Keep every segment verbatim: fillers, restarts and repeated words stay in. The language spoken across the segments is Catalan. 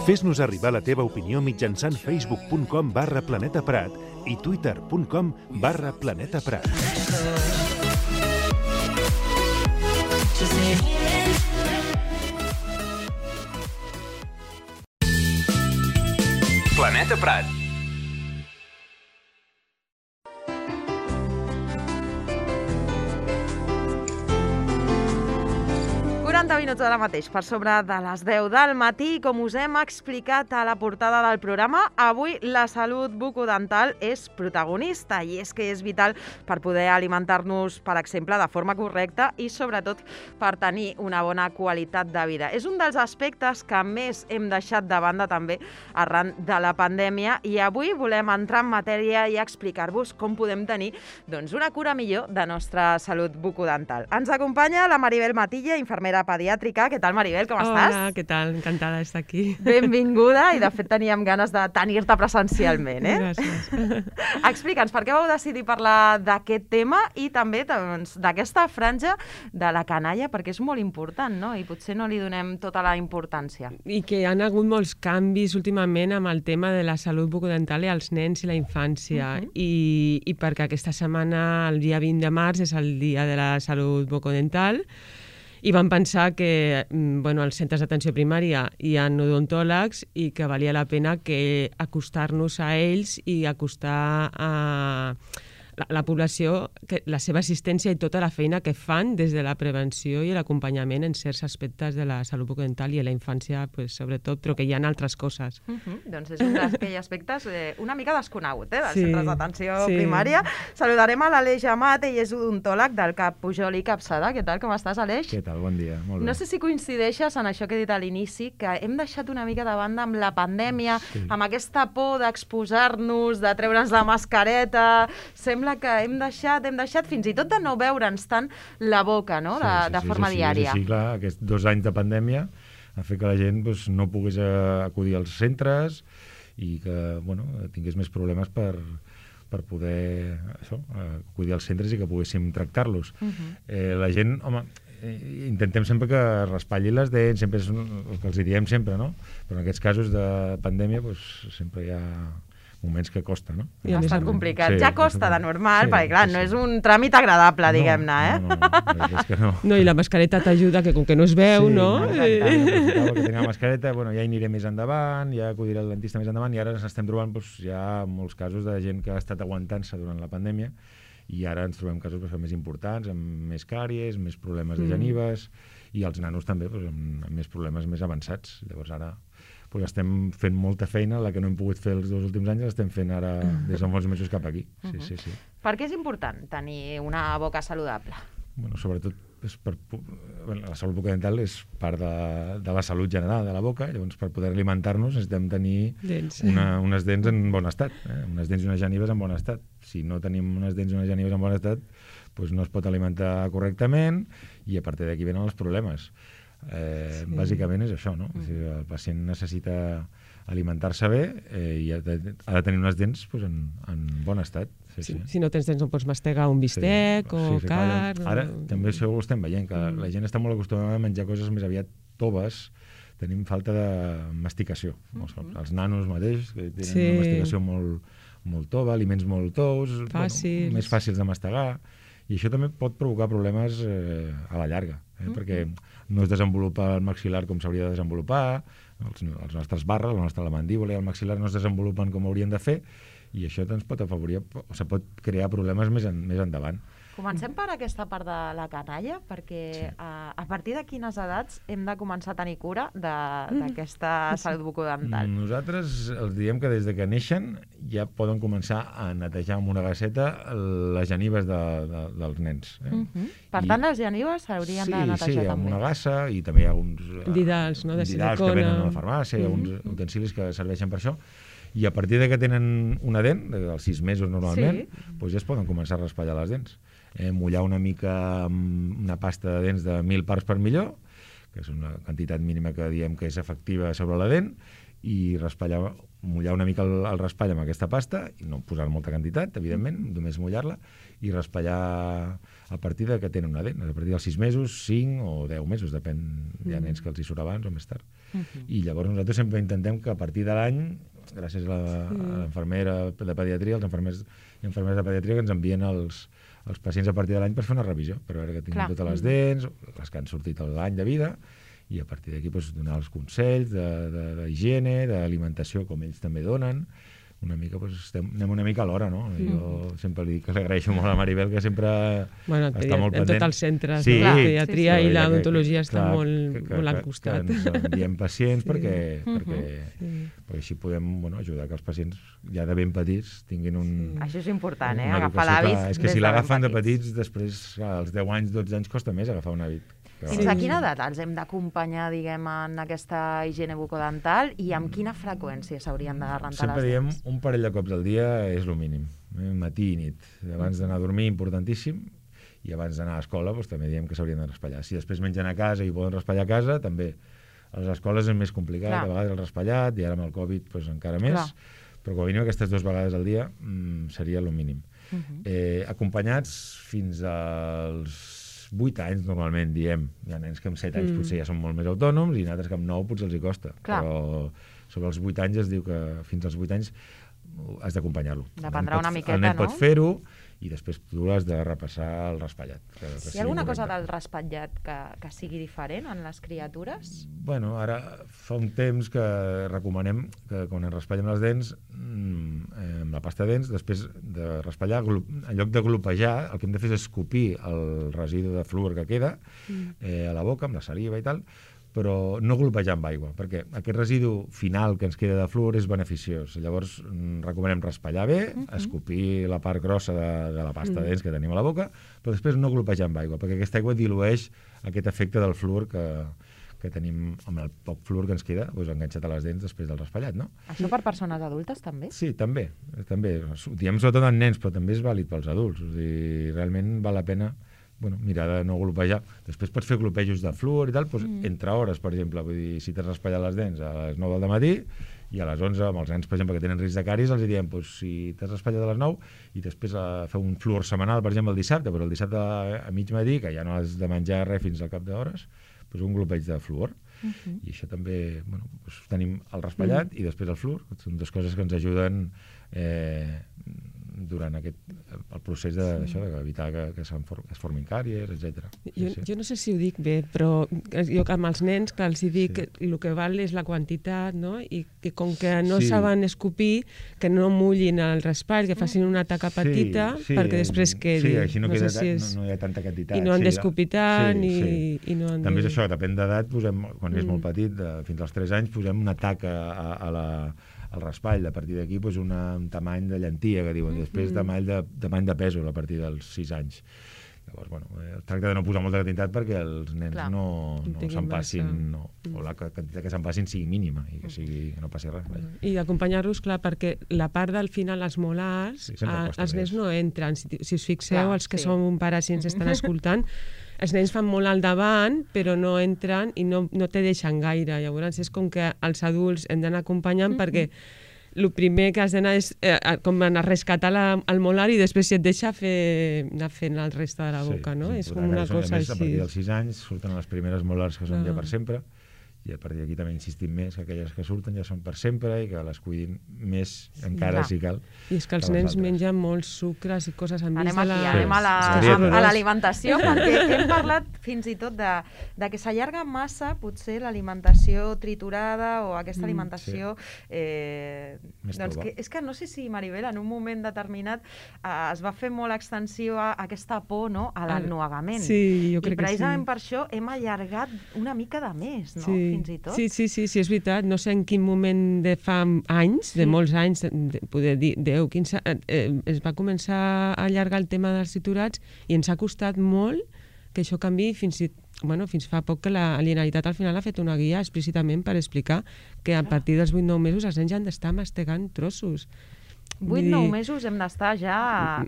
Fes-nos arribar la teva opinió mitjançant facebook punt com barra Planeta Prat i twitter punt com barra Planeta Prat. Planeta Prat. quaranta minuts ara mateix, per sobre de les deu del matí. Com us hem explicat a la portada del programa, avui la salut bucodental és protagonista i és que és vital per poder alimentar-nos, per exemple, de forma correcta i sobretot per tenir una bona qualitat de vida. És un dels aspectes que més hem deixat de banda també arran de la pandèmia i avui volem entrar en matèria i explicar-vos com podem tenir doncs, una cura millor de nostra salut bucodental. Ens acompanya la Maribel Matilla, infermera pediàtrica. Què tal, Maribel? Com Hola, estàs? Hola, què tal? Encantada d'estar aquí. Benvinguda, i de fet teníem ganes de tenir-te presencialment, eh? Gràcies. Explica'ns, per què vau decidir parlar d'aquest tema i també doncs, d'aquesta franja de la canalla, perquè és molt important, no? I potser no li donem tota la importància. I que hi ha hagut molts canvis últimament amb el tema de la salut bucodental i els nens i la infància. Uh-huh. I, I perquè aquesta setmana, el dia vint de març, és el dia de la salut bucodental, i vam pensar que bueno, als centres d'atenció primària hi ha odontòlegs i que valia la pena que acostar-nos a ells i acostar a la, la població que la seva assistència i tota la feina que fan des de la prevenció i l'acompanyament en certs aspectes de la salut bucodental i a la infància, pues, sobretot, però que hi ha altres coses. Uh -huh. Doncs és un d'aquells aspectes eh, una mica desconegut, eh, dels sí, centres d'atenció sí. primària. Saludarem a l'Aleix Amat, ell és odontòleg del CAP Pujol i Capçada. Què tal, com estàs, Aleix? Què tal, bon dia, molt bé. No sé si coincideixes en això que he dit a l'inici, que hem deixat una mica de banda amb la pandèmia, sí. amb aquesta por d'exposar-nos, de treure'ns la mascareta. Sembla que hem deixat, hem deixat fins i tot de no veure'ns tant la boca, no?, de, sí, sí, de sí, forma és així, diària. És així, clar, aquests dos anys de pandèmia han fet que la gent doncs, no pogués acudir als centres i que bueno, tingués més problemes per, per poder això, acudir als centres i que poguéssim tractar-los. Uh-huh. eh, la gent, home, eh, intentem sempre que raspalli les dents, sempre és el que els diem sempre, no? Però en aquests casos de pandèmia doncs, sempre hi ha moments que costa, no? I ha estat complicat. Sí, ja costa de normal, sí, perquè clar, sí, no sí. és un tràmit agradable, no, diguem-ne, eh? No, no, no, és que no. No, i la mascareta t'ajuda, que com que no es veu, sí, no? Sí, que tenir la mascareta, bueno, ja hi aniré més endavant, ja acudiré al dentista més endavant, i ara ens estem trobant doncs, ja molts casos de gent que ha estat aguantant-se durant la pandèmia, i ara ens trobem casos doncs, més importants, amb més càries, més problemes de genives, mm. i els nanos també doncs, amb, amb més problemes més avançats. Llavors ara pues estem fent molta feina, la que no hem pogut fer els dos últims anys l'estem fent ara des de molts mesos cap aquí. Sí, uh-huh. sí, sí. Per què és important tenir una boca saludable? Bueno, sobretot és per, bueno, la salut bucodental és part de, de la salut general de la boca, llavors per poder alimentar-nos necessitem tenir dents. Una, unes dents en bon estat, eh? unes dents i unes genives en bon estat. Si no tenim unes dents i unes genives en bon estat, doncs no es pot alimentar correctament i a partir d'aquí venen els problemes. Eh, sí. Bàsicament és això, no? Mm. És dir, el pacient necessita alimentar-se bé eh, i ha de, ha de tenir unes dents pues, en, en bon estat. Sí, sí. Sí. Si no tens dents no pots mastegar un bistec sí. o sí, sí, carn. Ara o... també això ho estem veient, que mm. la gent està molt acostumada a menjar coses més aviat toves, tenim falta de masticació. Mm-hmm. Els nanos mateix, que tenen sí. una masticació molt, molt tova, aliments molt tous, bueno, més fàcils de mastegar, i això també pot provocar problemes eh, a la llarga, eh? Mm-hmm. perquè no es desenvolupa el maxil·lar com s'hauria de desenvolupar, els, els nostres barres, la nostra la mandíbula i el maxil·lar no es desenvolupen com haurien de fer, i això ens pot afavorir, o se pot crear problemes més, en, més endavant. Comencem per aquesta part de la canalla, perquè sí. a, a partir de quines edats hem de començar a tenir cura d'aquesta mm. salut bucodental? Nosaltres els diem que des de que neixen ja poden començar a netejar amb una gasseta les genives de, de, dels nens. Eh? Mm-hmm. Per tant, I, les genives s'haurien sí, de netejar sí, també? Sí, amb una gassa, i també hi ha uns didals, no? De didals que venen a la farmàcia, mm-hmm. hi ha uns utensilis que serveixen per això, i a partir de que tenen una dent, dels sis mesos normalment, sí. doncs ja es poden començar a raspallar les dents. Eh, mullar una mica amb una pasta de dents de mil parts per milió, que és una quantitat mínima que diem que és efectiva sobre la dent, i raspallar, mullar una mica el, el raspall amb aquesta pasta, i no posar molta quantitat, evidentment, només mullar-la, i raspallar a partir de que tenen una dent, a partir dels sis mesos, cinc o deu mesos, depèn, hi ha nens que els hi surt abans o més tard. Uh-huh. I llavors nosaltres sempre intentem que a partir de l'any, gràcies a l'enfermera de pediatria, els infermers i infermeres de pediatria que ens envien els, els pacients a partir de l'any per fer una revisió, per veure que tinguin Clar. totes les dents, les que han sortit l'any de vida, i a partir d'aquí doncs, donar els consells d'higiene, d'alimentació, com ells també donen. Una mica, doncs, estem, anem una mica a l'hora, no? Mm. Jo sempre li dic que li agraeixo molt a Maribel, que sempre bueno, està molt pendent. En tots els centres, sí, la pediatria sí, sí, i l'odontologia estan molt, que, que, molt al costat. Que ens enviem pacients sí. perquè, perquè, sí. perquè així podem bueno, ajudar que els pacients ja de ben petits tinguin un... Sí. Això és important, eh? Agafar l'hàbit. És que si l'agafen de petits, després als deu anys, dotze anys, costa més agafar un hàbit. Fins a quina edat els hem d'acompanyar, diguem, en aquesta higiene bucodental i amb quina freqüència s'haurien de rentar les dents? Sempre diem un parell de cops al dia és el mínim, eh? Matí i nit. Abans d'anar a dormir, importantíssim, i abans d'anar a l'escola doncs, també diem que s'haurien de raspallar. Si després mengen a casa i poden raspallar a casa, també. A les escoles és més complicat, Clar. a vegades el raspallat, i ara amb el Covid doncs, encara més, Clar. però com a mínim aquestes dues vegades al dia mmm, seria el mínim. Uh-huh. eh, acompanyats fins als vuit anys, normalment, diem. Hi ha nens que amb set anys mm. potser ja són molt més autònoms i altres que amb nou potser els hi costa. Clar. Però sobre els vuit anys es diu que fins als vuit anys has d'acompanyar-lo. Dependrà una miqueta, no? El nen pot fer-ho i després tu has de repassar el raspallat. Que, que Hi ha alguna cosa del raspallat que, que sigui diferent en les criatures? Bueno, ara fa un temps que recomanem que quan ens raspallem les dents, amb la pasta de dents, després de raspallar, en lloc de glopejar, el que hem de fer és escopir el residu de fluor que queda eh, a la boca, amb la saliva i tal, però no glopejar amb aigua, perquè aquest residu final que ens queda de fluor és beneficiós. Llavors, recomanem raspallar bé, uh-huh. escopir la part grossa de, de la pasta uh-huh. de dents que tenim a la boca, però després no glopejar amb aigua, perquè aquesta aigua dilueix aquest efecte del fluor que, que tenim amb el poc fluor que ens queda doncs, enganxat a les dents després del raspallat, no? Això per persones adultes també? Sí, també. també. Ho diem sobretot en nens, però també és vàlid pels adults. O sigui, realment val la pena bueno, mirar de no glopejar. Després pots fer glopejos de fluor i tal, doncs, mm. entre hores, per exemple. Vull dir, si t'has raspallat les dents a les nou del matí i a les onze, amb els nens, per exemple, que tenen risc de càries, els diem, doncs, si t'has raspallat a les nou i després a fer un fluor setmanal, per exemple, el dissabte, però el dissabte a, a mig matí, que ja no has de menjar res fins al cap d'hores, doncs un glopeig de fluor. Uh-huh. I això també, bueno, doncs tenim el raspallat uh-huh. i després el fluor, que són dues coses que ens ajuden eh, durant aquest, el procés d'evitar de, que, que, for, que es formin càries, etcètera. Jo, sí, sí. jo no sé si ho dic bé, però jo amb els nens que els dic sí. que el que val és la quantitat, no? I que com que no sí. saben escopir, que no mullin el raspall, que facin una taca petita sí, sí, perquè després quedi. Sí, així no, no, queda, sé si és... no, no hi ha tanta quantitat. I no han sí, d'escopir tant sí, sí. i, i no han També de... és això, depèn d'edat, posem, quan mm. és molt petit, de, fins als tres anys, posem una taca a, a la al raspall, a partir d'aquí pues, una, un tamany de llentia, que diuen, després mm-hmm. tamany de, tamany de pèsol a partir dels sis anys. Llavors, bueno, es tracta de no posar molta quantitat perquè els nens Clar. no, no se'n passin, no, o la quantitat que se'n passin sigui mínima i que, sigui, que no passi res. Vaja. I d'acompanyar-los, clar, perquè la part del final, els molars, sí, a, els nens no entren. Si, si us fixeu, clar, els que sí. som pares i ens estan escoltant, els nens fan molt al davant, però no entren i no, no te deixen gaire. Llavors és com que els adults hem d'anar acompanyant mm-hmm. perquè el primer que has d'anar és eh, com anar a rescatar la, el molar i després si et deixa fer, anar fent el reste de la boca, sí, no? Sí, és com una cosa més, així. A partir dels sis anys surten les primeres molars que són ah. ja per sempre, i a partir d'aquí també insistim més que aquelles que surten ja són per sempre i que les cuidin més encara sí, si cal. I és que els que nens altres. mengen molts sucres i coses amb anem vist de la... Aquí, anem a la, sí, a l'alimentació, perquè hem parlat fins i tot de, de que s'allarga massa potser l'alimentació triturada o aquesta alimentació... Mm, sí. eh, doncs que, és que no sé si, Maribel, en un moment determinat eh, es va fer molt extensiva aquesta por, no?, a l'ennuegament. Sí, jo crec que sí. I precisament per això hem allargat una mica de més, no?, sí. fins i tot. Sí, sí, sí, sí, és veritat. No sé en quin moment de fa anys, sí. de molts anys, de, poder dir deu, quinze, eh, es va començar a allargar el tema dels triturats i ens ha costat molt que això canvi fins, i, bueno, fins fa poc que la Generalitat al final ha fet una guia explícitament per explicar que a partir dels vuit nou mesos els nens ja han d'estar mastegant trossos. vuit nou mesos hem d'estar ja...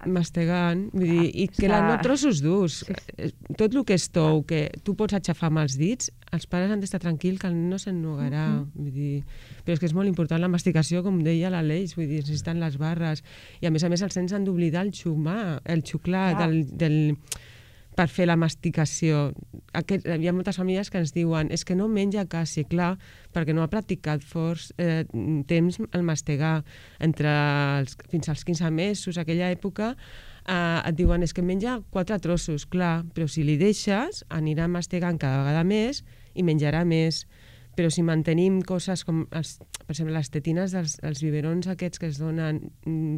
mastegant, vull dir, i que la no trossos durs. Tot el que és tou, que tu pots aixafar amb els dits, els pares han d'estar tranquils que el nen no s'ennugarà. Vull dir, però és que és molt important la masticació, com deia l'Aleix, vull dir, necessiten les barres. I a més a més els nens han d'oblidar el xumar, el xuclar del... del per fer la masticació. Aquest, hi ha moltes famílies que ens diuen és que no menja quasi, clar, perquè no ha practicat fort eh, temps el mastegar. Entre els, fins als quinze mesos, aquella època, eh, et diuen és que menja quatre trossos, clar, però si li deixes anirà mastegant cada vegada més i menjarà més. Però si mantenim coses com, els, per exemple, les tetines dels els biberons aquests que es donen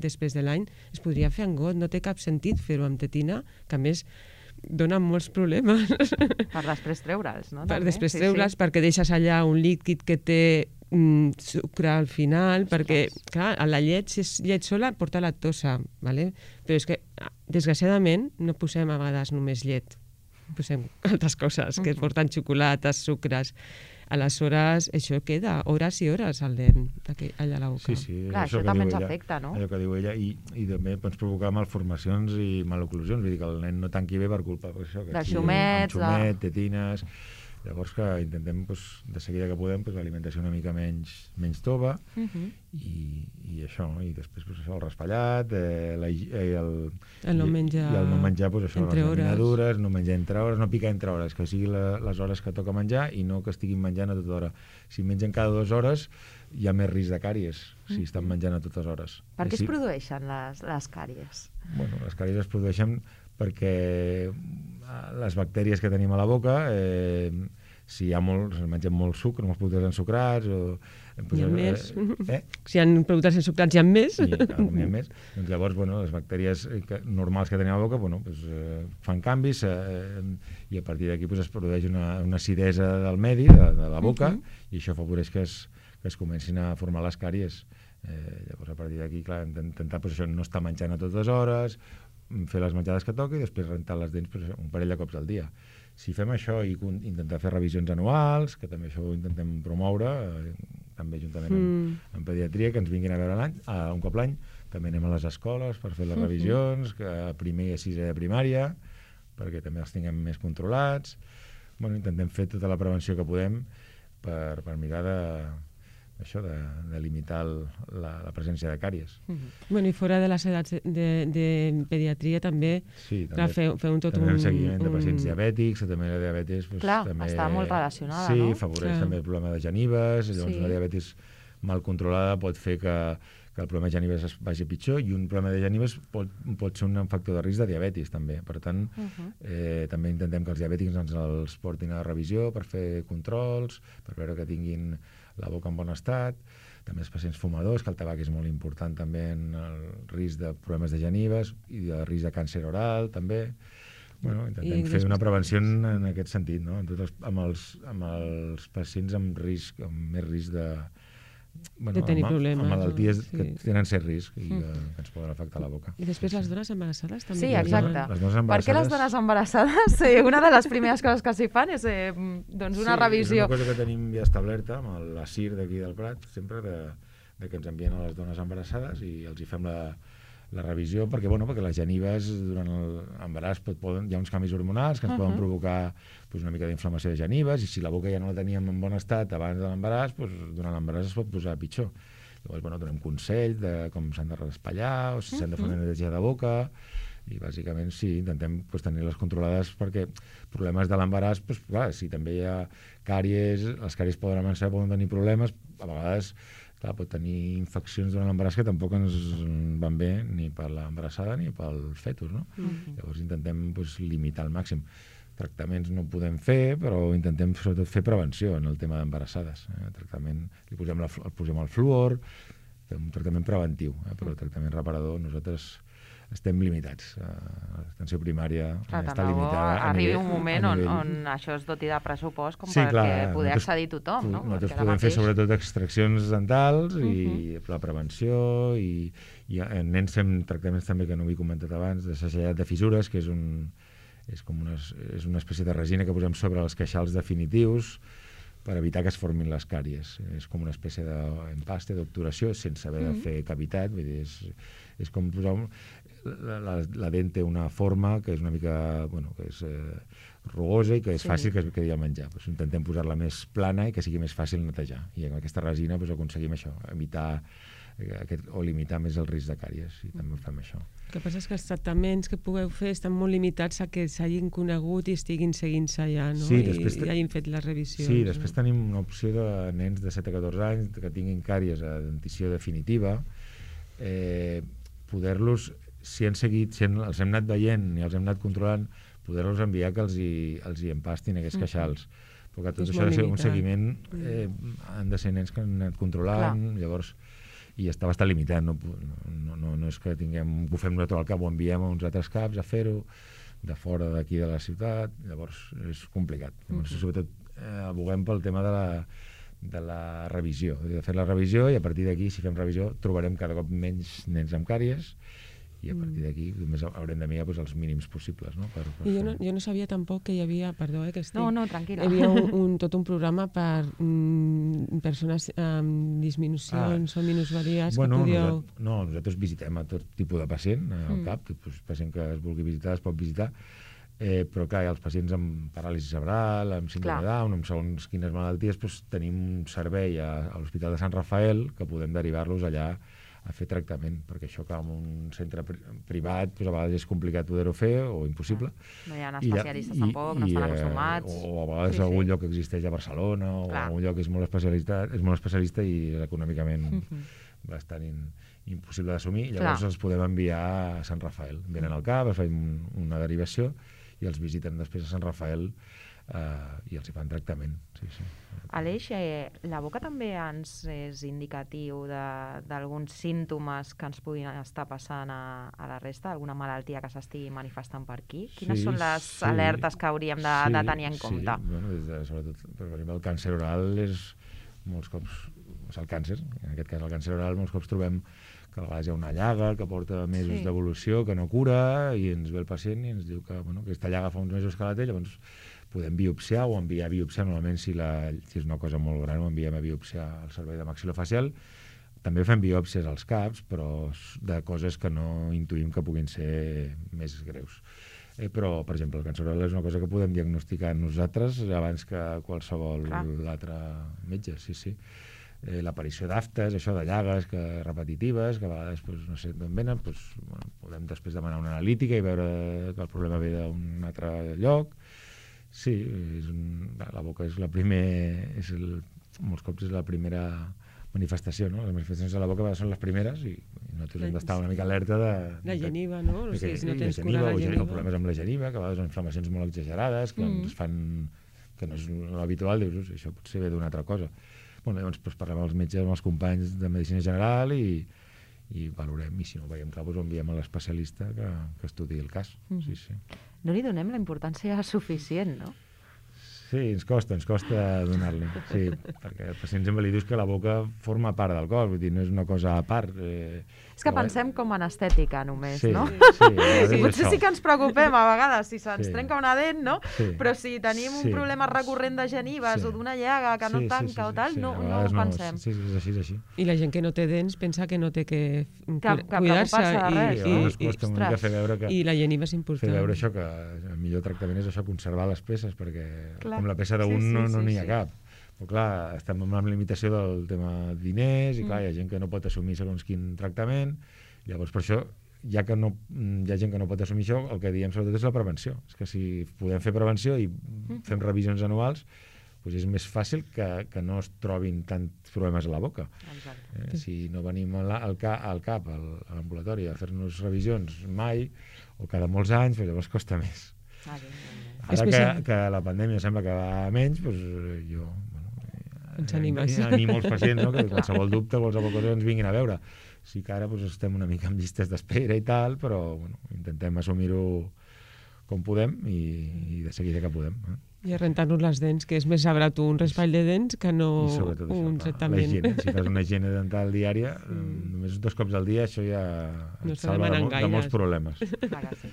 després de l'any, es podria fer en got, no té cap sentit fer-ho amb tetina, que a més donen molts problemes. Per després treure'ls, no? Per després treure'ls, perquè deixes allà un líquid que té mm, sucre al final, perquè, clar, la llet, si és llet sola, porta lactosa, ¿vale? Però és que, desgraciadament, no posem a vegades només llet. Posem altres coses, que porten xocolates, sucres. Aleshores, això queda hores i hores al nen allà a la boca. Sí, sí. Clar, això, això també ens afecta, no? Allò que diu ella, i, i també pots provocar malformacions i maloclusions, vull dir que el nen no tanqui bé per culpa d'això. De xumets. Amb xumet, tetines... Llavors que intentem, doncs, de seguida que podem, doncs, l'alimentació una mica menys, menys tova, uh-huh. i, i això, i després doncs, això, el raspallat, eh, la, eh, el, el no menjar, i, i el no menjar doncs, això, les laminadures, no menjar entre hores, no picar entre hores, que sigui la, les hores que toca menjar i no que estiguin menjant a tota hora. Si mengen cada dues hores, hi ha més risc de càries, si uh-huh. estan menjant a totes hores. Per què si... es produeixen les, les càries? Bueno, les càries es produeixen perquè les bactèries que tenim a la boca, eh, si hi ha molt, si mengem molt sucre, molts productes ensucrats, o... Hi ha més. Eh? Si hi ha productes ensucrats, hi ha més. I, clar, hi ha més. Doncs llavors, bueno, les bactèries que, normals que tenim a la boca, bueno, pues, eh, fan canvis eh, i a partir d'aquí pues, es produeix una, una acidesa del medi, de, de la boca, uh-huh. i això favoreix que es, que es comencin a formar les càries. Eh, llavors, a partir d'aquí, clar, hem d'intentar pues, això, no estar menjant a totes hores, fer les menjades que toca i després rentar les dents pues, un parell de cops al dia. Si fem això i intentar fer revisions anuals, que també això ho intentem promoure, eh, també juntament amb, mm. amb pediatria, que ens vinguin a veure l'any, eh, un cop l'any, també anem a les escoles per fer les mm-hmm. revisions, que a primer i a sisè de primària, perquè també els tinguem més controlats. Bueno, intentem fer tota la prevenció que podem per, per mirar de... això de, de limitar el, la, la presència de càries. Uh-huh. Bueno, i fora de les edats de, de, de pediatria també, sí, també clar, feu, feu un tot també un... També seguiment un... de pacients diabètics, també la diabetis... Pues, clar, també, està molt relacionada, sí, no? Sí, favoreix clar. També el problema de genives, llavors sí. La diabetis mal controlada pot fer que, que el problema de genives es vagi pitjor i un problema de genives pot, pot ser un factor de risc de diabetis també. Per tant, uh-huh. eh, també intentem que els diabètics ens els portin a revisió per fer controls, per veure que tinguin la boca en bon estat, també els pacients fumadors, que el tabac és molt important també en el risc de problemes de genives i de risc de càncer oral també. Bueno, intentem I fer una prevenció en, en aquest sentit, no? En tots els, amb, els, amb els pacients amb risc, amb més risc de... Bueno, de tenir amb, problemes. Amb malalties no? que sí. tenen cert risc i mm. que, que ens poden afectar la boca. I després sí, les dones embarassades també. Sí, exacte. Les dones embarassades... Per què les dones embarassades? Eh, una de les primeres coses que s'hi fan és eh, doncs una sí, revisió. És una cosa que tenim ja establerta amb la C I R d'aquí del Prat, sempre de, de que ens envien a les dones embarassades i els hi fem la, la revisió, perquè, bueno, perquè les genives durant l'embaràs poden, hi ha uns canvis hormonals que ens uh-huh. poden provocar pues, una mica d'inflamació de genives i si la boca ja no la teníem en bon estat abans de l'embaràs, pues, durant l'embaràs es pot posar pitjor. Llavors, bueno, donem consell de com s'han de raspallar o si s'han de fer una neteja de boca i bàsicament sí, intentem pues, tenir les controlades perquè problemes de l'embaràs, pues, clar, si també hi ha càries, les càries poden avançar, poden tenir problemes, a vegades clar, pot tenir infeccions durant l'embaràs que tampoc ens van bé ni per l'embarassada ni pel fetus, no? Mm-hmm. Llavors intentem pues, limitar al màxim. Tractaments no podem fer, però intentem sobretot fer prevenció en el tema d'embarassades. Eh? Tractament, li posem, la, posem el fluor, fem un tractament preventiu, eh? però el tractament reparador nosaltres estem limitats. Eh, L'atenció primària clar, està limitada. Arribi nivell, un moment nivell... on, on això es doti de pressupost com sí, perquè clar, poder accedir tothom. No? Nosaltres podem fer sobretot extraccions dentals i uh-huh. la prevenció i, i en nens fem tractaments també que no ho he comentat abans, de segellat de fissures, que és un és com una, és una espècie de resina que posem sobre els queixals definitius per evitar que es formin les càries. És com una espècie d'empaste, d'obturació, sense haver de fer cavitat. Vull dir, és, és com posar... Un... La, la, la dent té una forma que és una mica, bueno, que és eh, rugosa i que és sí. fàcil que es quedi al menjar. Pues intentem posar-la més plana i que sigui més fàcil netejar. I amb aquesta resina pues, aconseguim això, evitar aquest, o limitar més el risc de càries, i també fem això. El que passa és que els tractaments que pugueu fer estan molt limitats a que s'hagin conegut i estiguin seguint-se ja, no? Sí, I, després i hagin fet les revisions. Sí, després no? tenim una opció de nens de set a catorze anys que tinguin càries a dentició definitiva, eh, poder-los, si han seguit, si han, els hem anat veient i els hem anat controlant, poder-los enviar que els hi, els hi empastin aquests queixals. Perquè tot això ha de ser un seguiment, eh, han de ser nens que han anat controlant, clar. Llavors, i està bastant limitat, no, no, no, no és que tinguem, que ho fem nosaltres al cap, ho enviem a uns altres caps a fer-ho, de fora d'aquí de la ciutat, llavors és complicat. Llavors, uh-huh. sobretot, eh, aboguem pel tema de la, de la revisió, de fer la revisió, i a partir d'aquí, si fem revisió, trobarem cada cop menys nens amb càries, i a partir d'aquí només haurem de mirar pues, els mínims possibles. No? Per, per I jo no, jo no sabia tampoc que hi havia, perdó, eh, que estic... No, no, tranquil·la. Hi havia un, un, tot un programa per mm, persones amb disminucions ah. o minusvalies bueno, que podíeu... Nosaltres, no, nosaltres visitem a tot tipus de pacient al mm. cap, pues, pacient que es vulgui visitar es pot visitar, eh, però clar, els pacients amb paràlisi cerebral, amb síndrome de Down, amb segons quines malalties, pues, tenim un servei a, a l'Hospital de Sant Rafael que podem derivar-los allà a fer tractament, perquè això que en un centre privat pues, a vegades és complicat poder-ho fer o impossible. No hi ha especialistes I, tampoc, i, no estan acostumats. O, o a vegades sí, algun sí. lloc que existeix a Barcelona o clar. algun lloc que és molt especialista, és molt especialista i econòmicament uh-huh. bastant in, impossible d'assumir. Llavors clar. els podem enviar a Sant Rafael. Venen al cap, es fan una derivació i els visiten després a Sant Rafael Uh, i els hi fan tractament. Sí, sí. Aleix, eh, la boca també ens és indicatiu d'alguns símptomes que ens puguin estar passant a, a la resta, alguna malaltia que s'estigui manifestant per aquí? Quines sí, són les sí, alertes que hauríem de, sí, de tenir en compte? Sí, bueno, des de, sobretot, per exemple, el càncer oral és molts cops, és el càncer, en aquest cas el càncer oral, molts cops trobem que a vegades hi ha una llaga que porta mesos sí. d'evolució, que no cura, i ens ve el pacient i ens diu que bueno, aquesta llaga fa uns mesos que la té, llavors podem biopsiar o enviar a biopsiar, normalment si, la, si és una cosa molt gran ho enviem a biopsiar al servei de maxilofacial. També fem biòpsies als caps, però de coses que no intuïm que puguin ser més greus. Eh, però, per exemple, el càncer oral és una cosa que podem diagnosticar nosaltres abans que qualsevol altre metge, sí, sí. Eh, l'aparició d'aftes, això de llagues que, repetitives, que a vegades pues, no sé d'on venen, pues, bueno, podem després demanar una analítica i veure que el problema ve d'un altre lloc. Sí, és un, la boca és la primer, és el, molts cops és la primera manifestació, no? Les manifestacions de la boca són les primeres i, i nosaltres hem d'estar una mica alerta de... La geniva, no? De, de, que, si no tens geniva, cura la geniva. O problemes amb la geniva, que a vegades són inflamacions molt exagerades, que mm. ens fan... que no és l'habitual, dius, això potser ve d'una altra cosa. Bueno, llavors pues, parlem amb els metges, amb els companys de Medicina General i, i valorem, i si no ho veiem clar, doncs ho enviem a l'especialista que, que estudiï el cas. Mm. Sí, sí. No li donem la importància suficient, no? Sí, ens costa, ens costa donar-li, sí, perquè el pacient sempre li dius que la boca forma part del cos, vull dir, no és una cosa a part. Eh, és que pensem com en estètica només, sí, no? Sí, sí, potser sí que ens preocupem a vegades si se'ns sí. trenca una dent, no? Sí. Però si tenim un sí. problema recurrent de genives sí. o d'una llaga que no sí, tanca sí, sí, o tal, sí, no, sí. no ho pensem. Sí, sí, és així, és així. I la gent que no té dents pensa que no té que, que, que cuidar-se de res, i, no? I, i, costa una mica fer veure que... I la geniva és important. Fer veure això, que el millor tractament és això, conservar les peces, perquè clar. Com la peça d'un sí, sí, no n'hi sí, ha sí. cap. Però clar, estem amb la limitació del tema diners i clar, mm. hi ha gent que no pot assumir segons quin tractament. Llavors, per això, ja que no, hi ha gent que no pot assumir això, el que diem sobretot és la prevenció. És que si podem fer prevenció i fem revisions anuals, doncs és més fàcil que, que no es trobin tants problemes a la boca. Eh, si no venim al, al, al cap, al, a l'ambulatori, a fer-nos revisions mai, o cada molts anys, doncs llavors costa més. Ah, bé, bé. Ara que, que la pandèmia sembla que va menys, doncs jo bueno, ens animes. animo els pacients, no? Que qualsevol dubte, qualsevol cosa ens vinguin a veure. Sí que ara doncs, estem una mica amb llistes d'espera i tal, però bueno, intentem assumir-ho com podem i, i de seguida que podem. Eh? I a rentar-nos les dents, que és més sabrat un raspall de dents que no un tractament. La higiene, si fas una higiene dental diària, mm. només dos cops al dia, això ja no et salva de, de molts problemes. Clar que sí.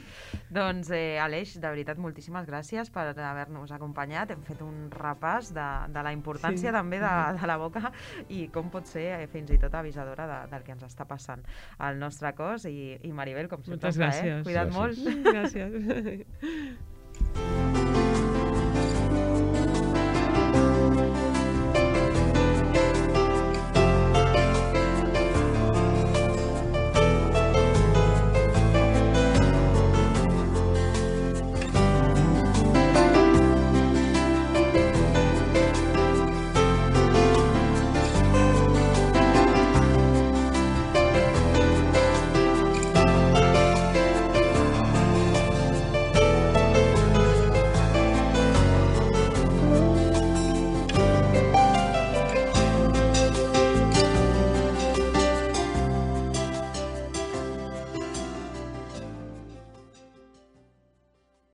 Doncs, eh, Aleix, de veritat, moltíssimes gràcies per haver-nos acompanyat. Hem fet un repàs de, de la importància sí. també de, de la boca i com pot ser eh, fins i tot avisadora de, del que ens està passant al nostre cos. I, i Maribel, com sempre, moltes gràcies. Eh? Cuida't gràcies. molt. Gràcies.